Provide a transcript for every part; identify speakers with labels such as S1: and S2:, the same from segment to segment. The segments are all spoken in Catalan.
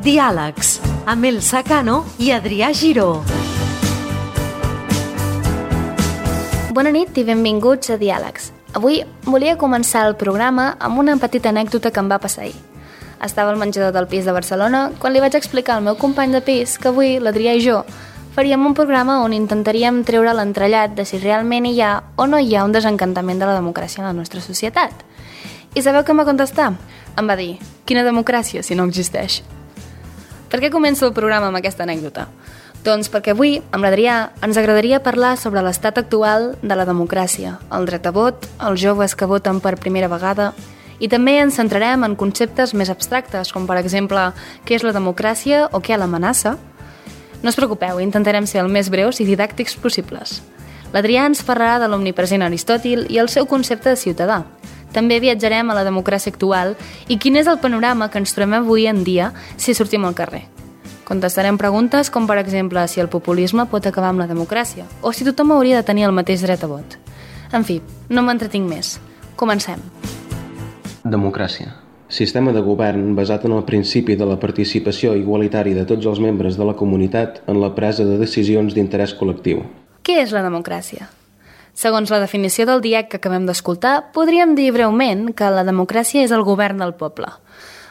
S1: Diàlegs, amb Elsa Cano i Adrià Giró.
S2: Bona nit i benvinguts a Diàlegs. Avui volia començar el programa amb una petita anècdota que em va passar ahir. Estava al menjador del pis de Barcelona quan li vaig explicar al meu company de pis que avui l'Adrià i jo faríem un programa on intentaríem treure l'entrellat de si realment hi ha o no hi ha un desencantament de la democràcia en la nostra societat. I sabeu què em va contestar? Em va dir, quina democràcia si no existeix? Per què començo el programa amb aquesta anècdota? Doncs perquè avui, amb l'Adrià, ens agradaria parlar sobre l'estat actual de la democràcia, el dret a vot, els joves que voten per primera vegada, i també ens centrarem en conceptes més abstractes, com per exemple, què és la democràcia o què l'amenaça. No us preocupeu, intentarem ser el més breus i didàctics possibles. L'Adrià ens parlarà de l'omnipresent Aristòtil i el seu concepte de ciutadà. També viatjarem a la democràcia actual i quin és el panorama que ens trobem avui en dia si sortim al carrer. Contestarem preguntes com, per exemple, si el populisme pot acabar amb la democràcia o si tothom hauria de tenir el mateix dret a vot. En fi, no m'entretinc més. Comencem.
S3: Democràcia. Sistema de govern basat en el principi de la participació igualitària de tots els membres de la comunitat en la presa de decisions d'interès col·lectiu.
S2: Què és la democràcia? Segons la definició del DIEC que acabem d'escoltar, podríem dir breument que la democràcia és el govern del poble.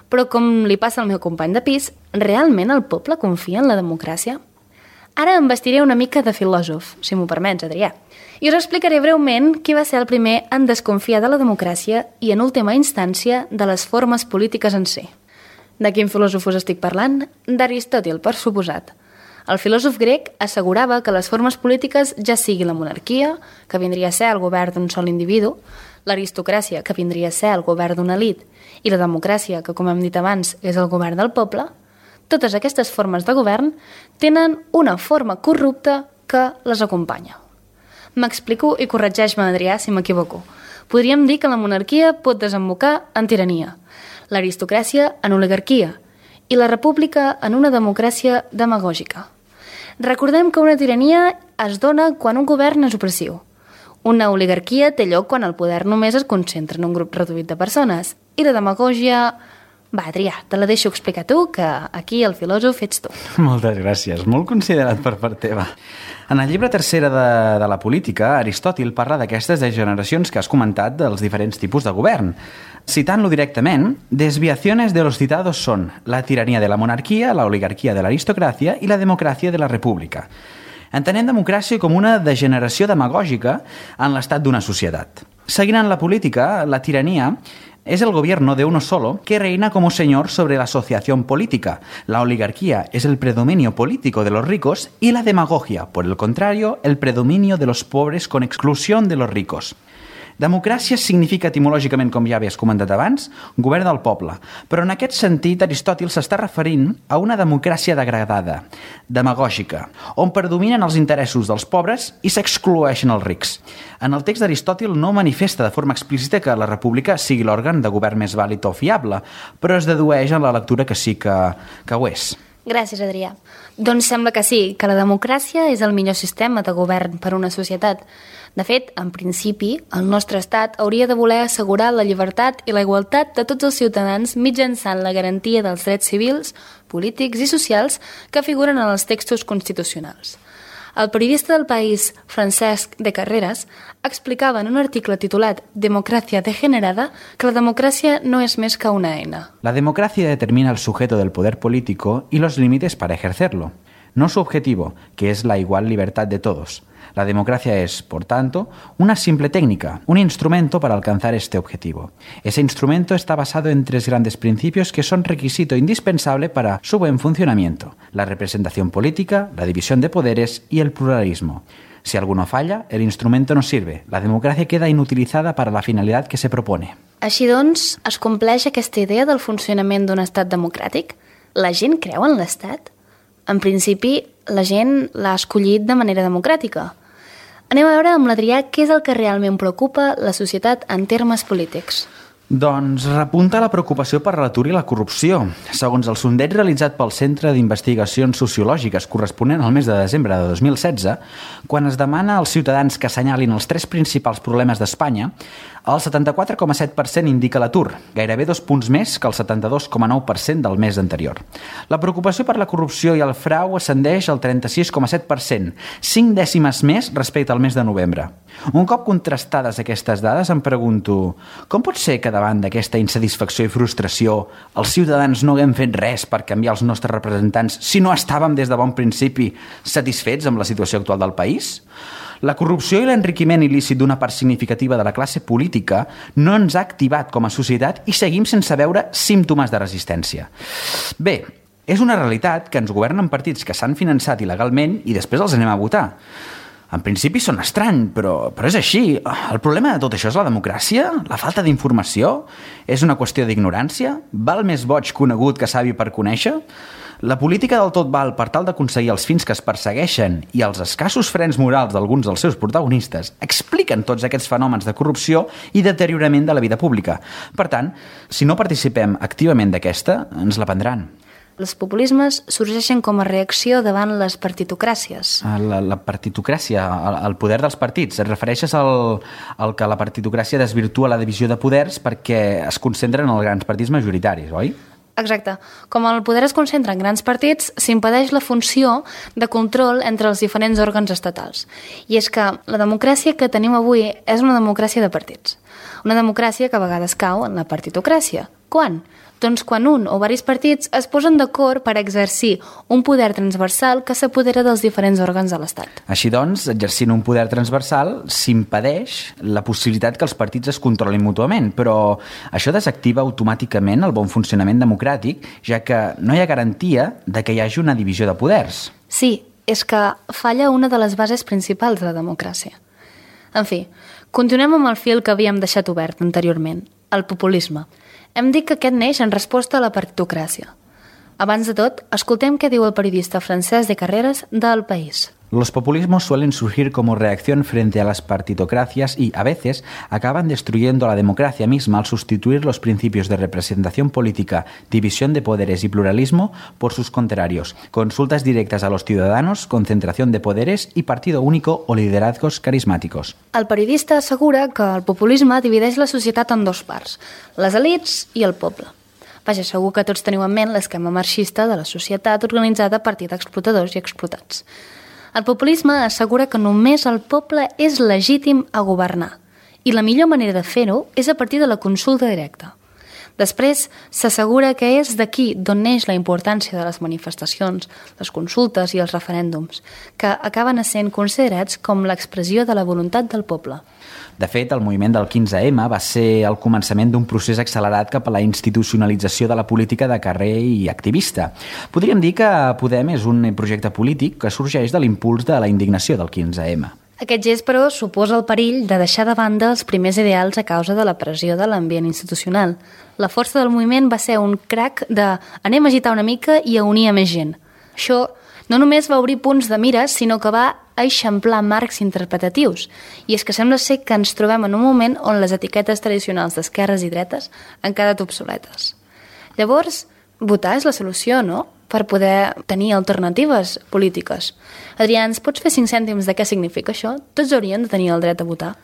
S2: Però com li passa al meu company de pis, realment el poble confia en la democràcia? Ara em vestiré una mica de filòsof, si m'ho permets, Adrià. I us explicaré breument qui va ser el primer en desconfiar de la democràcia i, en última instància, de les formes polítiques en si. De quin filòsof us estic parlant? D'Aristòtil, per suposat. El filòsof grec assegurava que les formes polítiques, ja sigui la monarquia, que vindria a ser el govern d'un sol individu, l'aristocràcia, que vindria a ser el govern d'una elit, i la democràcia, que com hem dit abans és el govern del poble, totes aquestes formes de govern tenen una forma corrupta que les acompanya. M'explico i corregeix-me, Adrià, si m'equivoco. Podríem dir que la monarquia pot desembocar en tirania, l'aristocràcia en oligarquia i la república en una democràcia demagògica. Recordem que una tirania es dona quan un govern és opressiu. Una oligarquia té lloc quan el poder només es concentra en un grup reduït de persones. I la demagògia... Va, Adrià, te la deixo explicar tu, que aquí el filòsof ets tu.
S4: Moltes gràcies, molt considerat per part teva. En el llibre tercera de la política, Aristòtil parla d'aquestes degeneracions que has comentat dels diferents tipus de govern. Citant-lo directament, desviaciones de los citados son la tiranía de la monarquía, la oligarquía de la aristocracia y la democracia de la república. Entenem democràcia com una degeneració demagògica en l'estat d'una societat. Seguint en la política, la tirania es el gobierno de uno solo que reina como señor sobre la asociación política. La oligarquía es el predominio político de los ricos y la demagogia, por el contrario, el predominio de los pobres con exclusión de los ricos. Democràcia significa etimològicament, com ja havies comentat abans, govern del poble, però en aquest sentit Aristòtil s'està referint a una democràcia degradada, demagògica, on predominen els interessos dels pobres i s'excloeixen els rics. En el text d'Aristòtil no manifesta de forma explícita que la república sigui l'òrgan de govern més vàlid o fiable, però es dedueix en la lectura que sí que ho és.
S2: Gràcies, Adrià. Doncs sembla que sí, que la democràcia és el millor sistema de govern per a una societat. De fet, en principi, el nostre estat hauria de voler assegurar la llibertat i la igualtat de tots els ciutadans mitjançant la garantia dels drets civils, polítics i socials que figuren en els textos constitucionals. El periodista del País, Francesc de Carreras, explicava en un article titulat Democracia degenerada que la democràcia no és més que una eina.
S4: La democracia determina el sujeto del poder político y los límites para ejercerlo, no su objetivo, que es la igual libertad de todos. La democracia es, por tanto, una simple técnica, un instrumento para alcanzar este objetivo. Ese instrumento está basado en tres grandes principios que son requisito indispensable para su buen funcionamiento: la representación política, la división de poderes y el pluralismo. Si alguno falla, el instrumento no sirve. La democracia queda inutilizada para la finalidad que se propone.
S2: Així doncs, es compleix aquesta idea del funcionament d'un estat democràtic? La gent creu en l'estat? En principi, la gent l'ha escollit de manera democràtica. Anem a veure amb l'Adrià què és el que realment preocupa la societat en termes polítics.
S4: Doncs repunta la preocupació per l'atur i la corrupció. Segons el sondeig realitzat pel Centre d'Investigacions Sociològiques corresponent al mes de desembre de 2016, quan es demana als ciutadans que assenyalin els 3 principals problemes d'Espanya, El 74,7% indica l'atur, gairebé 2 punts més que el 72,9% del mes anterior. La preocupació per la corrupció i el frau ascendeix al 36,7%, 5 dècimes més respecte al mes de novembre. Un cop contrastades aquestes dades, em pregunto com pot ser que davant d'aquesta insatisfacció i frustració els ciutadans no haguem fet res per canviar els nostres representants si no estàvem des de bon principi satisfets amb la situació actual del país? La corrupció i l'enriquiment il·lícit d'una part significativa de la classe política no ens ha activat com a societat i seguim sense veure símptomes de resistència. Bé, és una realitat que ens governen partits que s'han finançat il·legalment i després els anem a votar. En principi són estrany, però és així. El problema de tot això és la democràcia? La falta d'informació? És una qüestió d'ignorància? Val més boig conegut que savi per conèixer? La política del tot val per tal d'aconseguir els fins que es persegueixen i els escassos frens morals d'alguns dels seus protagonistes expliquen tots aquests fenòmens de corrupció i deteriorament de la vida pública. Per tant, si no participem activament d'aquesta, ens la prendran.
S2: Els populismes sorgeixen com a reacció davant les partitocràcies.
S4: La partitocràcia, el poder dels partits. Et refereixes al que la partitocràcia desvirtua la divisió de poders perquè es concentren en els grans partits majoritaris, oi?
S2: Exacte. Com el poder es concentra en grans partits, s'impedeix la funció de control entre els diferents òrgans estatals. I és que la democràcia que tenim avui és una democràcia de partits. Una democràcia que a vegades cau en la partitocràcia. Quan? Doncs quan un o diversos partits es posen d'acord per exercir un poder transversal que s'apodera dels diferents òrgans de l'Estat.
S4: Així doncs, exercint un poder transversal s'impedeix la possibilitat que els partits es controlin mútuament, però això desactiva automàticament el bon funcionament democràtic, ja que no hi ha garantia de que hi hagi una divisió de poders.
S2: Sí, és que falla una de les bases principals de la democràcia. En fi, continuem amb el fil que havíem deixat obert anteriorment, el populisme. Hem dit que aquest neix en resposta a la partitocràcia. Abans de tot, escoltem què diu el periodista Francesc de Carreras del País.
S4: Los populismos suelen surgir como reacción frente a las partitocracias y, a veces, acaban destruyendo la democracia misma al sustituir los principios de representación política, división de poderes y pluralismo por sus contrarios, consultas directas a los ciudadanos, concentración de poderes y partido único o liderazgos carismáticos.
S2: El periodista assegura que el populisme divideix la societat en dos parts, les elits i el poble. Vaja, segur que tots teniu en ment l'esquema marxista de la societat organitzada a partir d'explotadors i explotats. El populisme assegura que només el poble és legítim a governar i la millor manera de fer-ho és a partir de la consulta directa. Després, s'assegura que és d'aquí d'on neix la importància de les manifestacions, les consultes i els referèndums, que acaben sent considerats com l'expressió de la voluntat del poble.
S4: De fet, el moviment del 15M va ser el començament d'un procés accelerat cap a la institucionalització de la política de carrer i activista. Podríem dir que Podem és un projecte polític que sorgeix de l'impuls de la indignació del 15M.
S2: Aquest gest, però, suposa el perill de deixar de banda els primers ideals a causa de la pressió de l'ambient institucional. La força del moviment va ser un crac de anem a agitar una mica i a unir a més gent. Això no només va obrir punts de mira, sinó que va eixamplar marcs interpretatius. I és que sembla ser que ens trobem en un moment on les etiquetes tradicionals d'esquerres i dretes han quedat obsoletes. Llavors, votar és la solució, no?, per poder tenir alternatives polítiques. Adrià, ens pots fer 5 cèntims de què significa això? Tots haurien de tenir el dret a votar?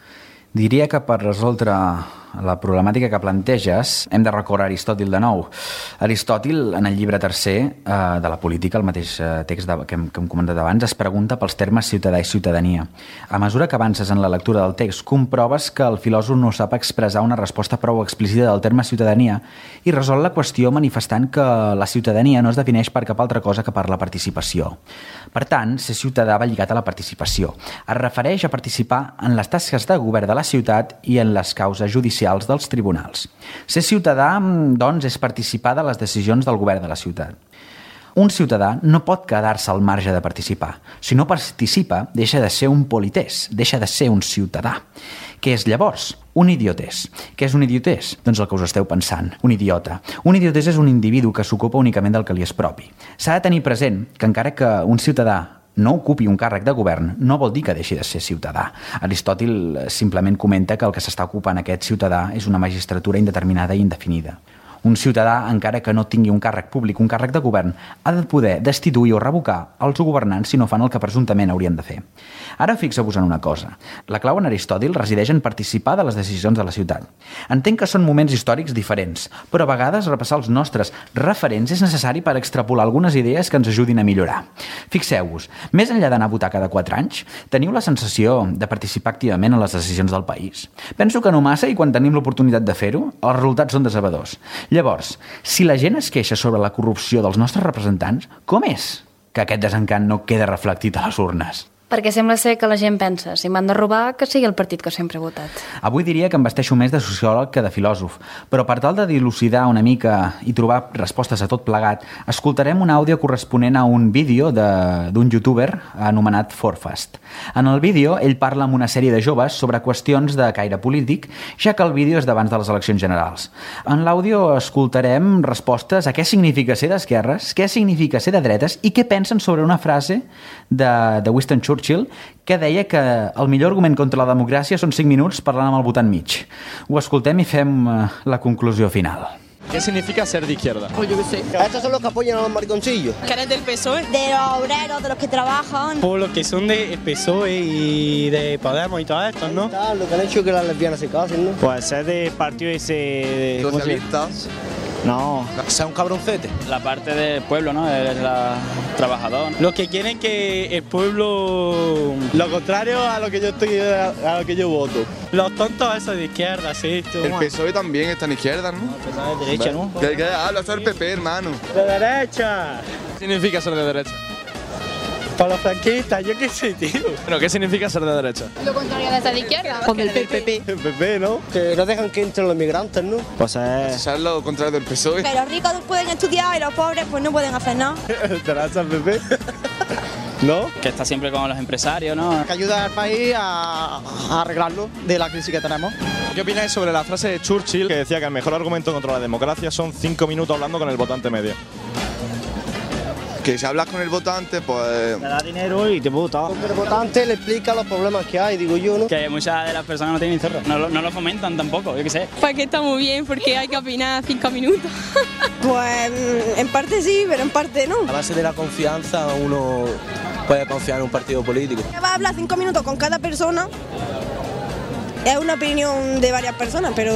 S4: Diria que per resoldre la problemàtica que planteges hem de recórrer a Aristòtil de nou. Aristòtil, en el llibre tercer de la política, el mateix text que hem comentat abans, es pregunta pels termes ciutadà i ciutadania. A mesura que avances en la lectura del text, comproves que el filòsof no sap expressar una resposta prou explícita del terme ciutadania i resol la qüestió manifestant que la ciutadania no es defineix per cap altra cosa que per la participació. Per tant, ser ciutadà va lligat a la participació. Es refereix a participar en les tasques de govern de la ciutat i en les causes judicials dels tribunals. Ser ciutadà, doncs, és participar de les decisions del govern de la ciutat. Un ciutadà no pot quedar-se al marge de participar. Si no participa, deixa de ser un polités, deixa de ser un ciutadà. Què és llavors? Un idiotès. Què és un idiotès? Doncs el que us esteu pensant, un idiota. Un idiotès és un individu que s'ocupa únicament del que li és propi. S'ha de tenir present que encara que un ciutadà no ocupi un càrrec de govern, no vol dir que deixi de ser ciutadà. Aristòtil simplement comenta que el que s'està ocupant aquest ciutadà és una magistratura indeterminada i indefinida. Un ciutadà, encara que no tingui un càrrec públic, un càrrec de govern, ha de poder destituir o revocar els governants si no fan el que presumptament haurien de fer. Ara fixeu-vos en una cosa. La clau en Aristòtil resideix en participar de les decisions de la ciutat. Entenc que són moments històrics diferents, però a vegades repassar els nostres referents és necessari per extrapolar algunes idees que ens ajudin a millorar. Fixeu-vos, més enllà d'anar a votar cada 4 anys, teniu la sensació de participar activament en les decisions del país. Penso que no massa i quan tenim l'oportunitat de fer-ho, els resultats són decebedors. Llavors, si la gent es queixa sobre la corrupció dels nostres representants, com és que aquest desencant no queda reflectit a les urnes?
S2: Perquè sembla ser que la gent pensa, si m'han de robar, que sigui el partit que sempre he votat.
S4: Avui diria que em vesteixo més de sociòleg que de filòsof, però per tal de dilucidar una mica i trobar respostes a tot plegat, escoltarem un àudio corresponent a un vídeo d'un youtuber anomenat Forfast. En el vídeo, ell parla amb una sèrie de joves sobre qüestions de caire polític, ja que el vídeo és d'abans de les eleccions generals. En l'àudio escoltarem respostes a què significa ser d'esquerres, què significa ser de dretes i què pensen sobre una frase de Winston Churchill que deia que el millor argument contra la democràcia són 5 minuts parlant amb el votant mig. Ho escoltem i fem la conclusió final.
S5: ¿Qué significa ser de izquierda?
S6: Pues yo qué sé.
S7: Estos son los que apoyan a los mariconcillos.
S6: ¿Que eres del PSOE?
S8: De los obreros, de los que trabajan.
S5: Por los que son de PSOE y de Podemos y todo esto, ¿no?
S7: Lo que han hecho que las lesbianas se casen, ¿no?
S5: Pues ser de partido ese...
S9: Socialistas.
S5: No.
S9: Sea un cabroncete.
S10: La parte del pueblo, ¿no? Eres trabajador.
S5: Los que quieren que el pueblo... Lo contrario a lo que yo voto. Los tontos esos de izquierda, sí.
S9: El PSOE también está en izquierda, ¿no?
S5: El PSOE de derecha, ¿no?
S9: ¿Qué habla? Eso es el PP, hermano.
S5: ¡De derecha!
S10: ¿Qué significa ser de derecha?
S5: Para los franquistas, yo qué sé, tío.
S10: Bueno, ¿qué significa ser de derecha?
S8: Lo contrario de ser de izquierda.
S6: Con el PP.
S5: El PP, ¿no?
S7: Que no dejan que entren los migrantes, ¿no?
S5: Pues
S9: Eso es lo contrario del PSOE.
S8: Que los ricos pueden estudiar y los pobres pues no pueden hacer nada.
S5: ¿Te la el PP? ¿No?
S10: Que está siempre con los empresarios, ¿no?
S6: Que ayuda al país a arreglarlo de la crisis que tenemos.
S11: ¿Qué opináis sobre la frase de Churchill que decía que el mejor argumento contra la democracia son 5 minutos hablando con el votante medio?
S9: Que si hablas con el votante, pues...
S5: Te da dinero y te vota.
S7: El votante le explica los problemas que hay, digo yo, ¿no?
S10: Que muchas de las personas no tienen cerro. No lo fomentan tampoco, yo qué sé.
S8: Pues que está muy bien porque hay que opinar 5 minutos. Pues en parte sí, pero en parte no.
S7: A base de la confianza uno puede confiar en un partido político.
S8: Va a hablar 5 minutos con cada persona. És una opinió de diverses persones, però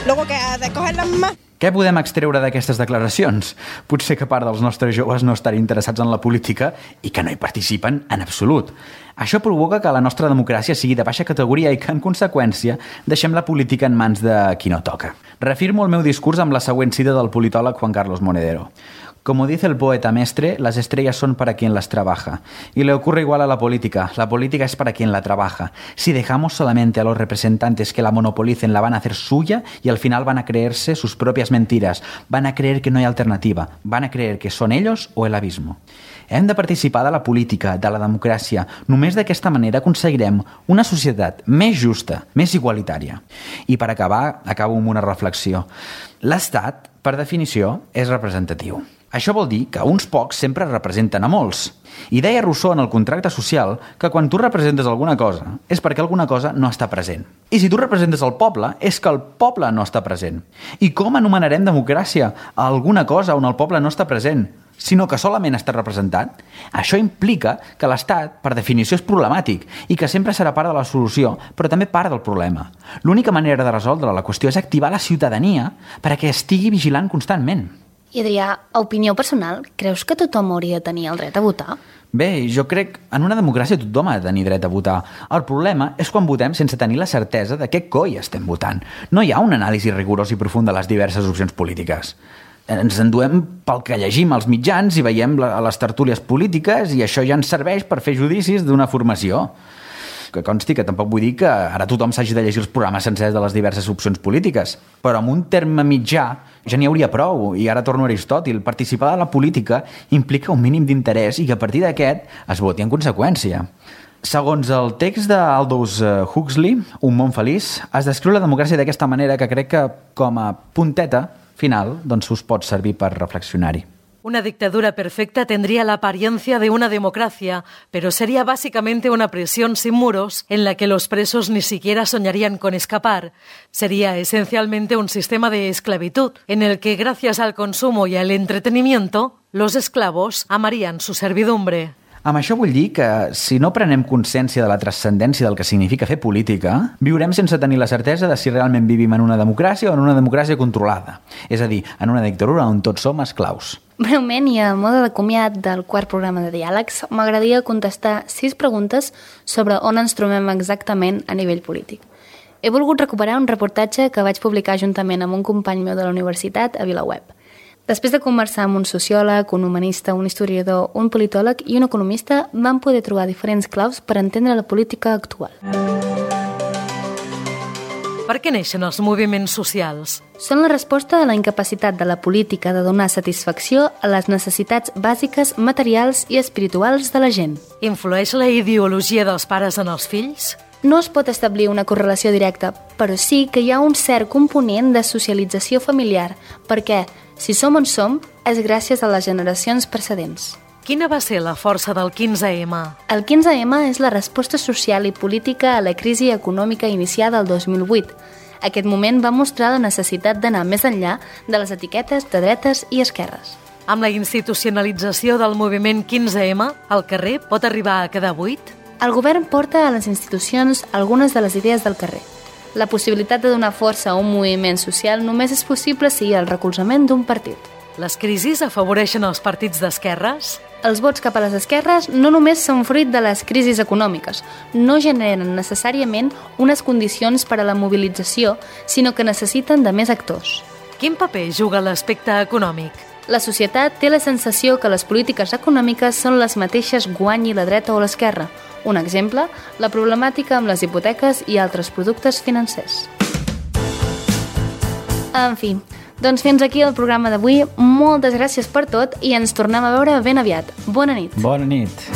S8: luego que has d'escoger-les més.
S4: Què podem extreure d'aquestes declaracions? Potser que part dels nostres joves no estan interessats en la política i que no hi participen en absolut. Això provoca que la nostra democràcia sigui de baixa categoria i que, en conseqüència, deixem la política en mans de qui no toca. Reafirmo el meu discurs amb la següent cita del politòleg Juan Carlos Monedero. Como dice el poeta Mestre, las estrellas son para quien las trabaja. Y le ocurre igual a la política es para quien la trabaja. Si dejamos solamente a los representantes que la monopolicen, la van a hacer suya y al final van a creerse sus propias mentiras. Van a creer que no hay alternativa. Van a creer que son ellos o el abismo. Hem de participar de la política, de la democràcia. Només d'aquesta manera aconseguirem una societat més justa, més igualitària. I per acabar, acabo amb una reflexió. L'Estat, per definició, és representatiu. Això vol dir que uns pocs sempre representen a molts. I deia Rousseau en el contracte social que quan tu representes alguna cosa és perquè alguna cosa no està present. I si tu representes el poble és que el poble no està present. I com anomenarem democràcia a alguna cosa on el poble no està present, sinó que solament està representat? Això implica que l'Estat, per definició, és problemàtic i que sempre serà part de la solució, però també part del problema. L'única manera de resoldre la qüestió és activar la ciutadania perquè estigui vigilant constantment.
S2: I Adrià, a opinió personal, creus que tothom hauria de tenir el dret a votar?
S4: Bé, jo crec que en una democràcia tothom ha de tenir dret a votar. El problema és quan votem sense tenir la certesa de què coi estem votant. No hi ha un anàlisi rigorós i profund de les diverses opcions polítiques. Ens enduem pel que llegim als mitjans i veiem a les tertúlies polítiques i això ja ens serveix per fer judicis d'una formació. Que consti que tampoc vull dir que ara tothom s'hagi de llegir els programes sencers de les diverses opcions polítiques, però amb un terme mitjà ja n'hi hauria prou, i ara torno a Aristòtil. Participar de la política implica un mínim d'interès i que a partir d'aquest es voti en conseqüència. Segons el text d'Aldous Huxley, Un món feliç, es descriu la democràcia d'aquesta manera que crec que, com a punteta final, doncs us pot servir per reflexionar-hi.
S1: Una dictadura perfecta tendría la apariencia de una democracia, pero sería básicamente una prisión sin muros en la que los presos ni siquiera soñarían con escapar. Sería esencialmente un sistema de esclavitud, en el que gracias al consumo y al entretenimiento, los esclavos amarían su servidumbre.
S4: Amb això vull dir que, si no prenem consciència de la transcendència del que significa fer política, viurem sense tenir la certesa de si realment vivim en una democràcia o en una democràcia controlada. És a dir, en una dictadura on tots som esclaus.
S2: Breument i a mode de comiat del quart programa de Diàlegs, m'agradaria contestar 6 preguntes sobre on ens trobem exactament a nivell polític. He volgut recuperar un reportatge que vaig publicar juntament amb un company meu de la universitat a VilaWeb. Després de conversar amb un sociòleg, un humanista, un historiador, un politòleg i un economista, vam poder trobar diferents claus per entendre la política actual.
S1: Per què neixen els moviments socials?
S2: Són la resposta a la incapacitat de la política de donar satisfacció a les necessitats bàsiques, materials i espirituals de la gent.
S1: Influeix la ideologia dels pares en els fills?
S2: No es pot establir una correlació directa, però sí que hi ha un cert component de socialització familiar, perquè, si som on som, és gràcies a les generacions precedents.
S1: Quina va ser la força del 15M?
S2: El 15M és la resposta social i política a la crisi econòmica iniciada el 2008. Aquest moment va mostrar la necessitat d'anar més enllà de les etiquetes de dretes i esquerres.
S1: Amb la institucionalització del moviment 15M, el carrer pot arribar a quedar buit?
S2: El govern porta a les institucions algunes de les idees del carrer. La possibilitat de donar força a un moviment social només és possible si hi ha el recolzament d'un partit.
S1: Les crisis afavoreixen els partits d'esquerres?
S2: Els vots cap a les esquerres no només són fruit de les crisis econòmiques, no generen necessàriament unes condicions per a la mobilització, sinó que necessiten de més actors.
S1: Quin paper juga l'aspecte econòmic?
S2: La societat té la sensació que les polítiques econòmiques són les mateixes guanyi la dreta o l'esquerra. Un exemple, la problemàtica amb les hipoteques i altres productes financers. En fi, doncs fins aquí el programa d'avui. Moltes gràcies per tot i ens tornem a veure ben aviat. Bona nit.
S4: Bona nit.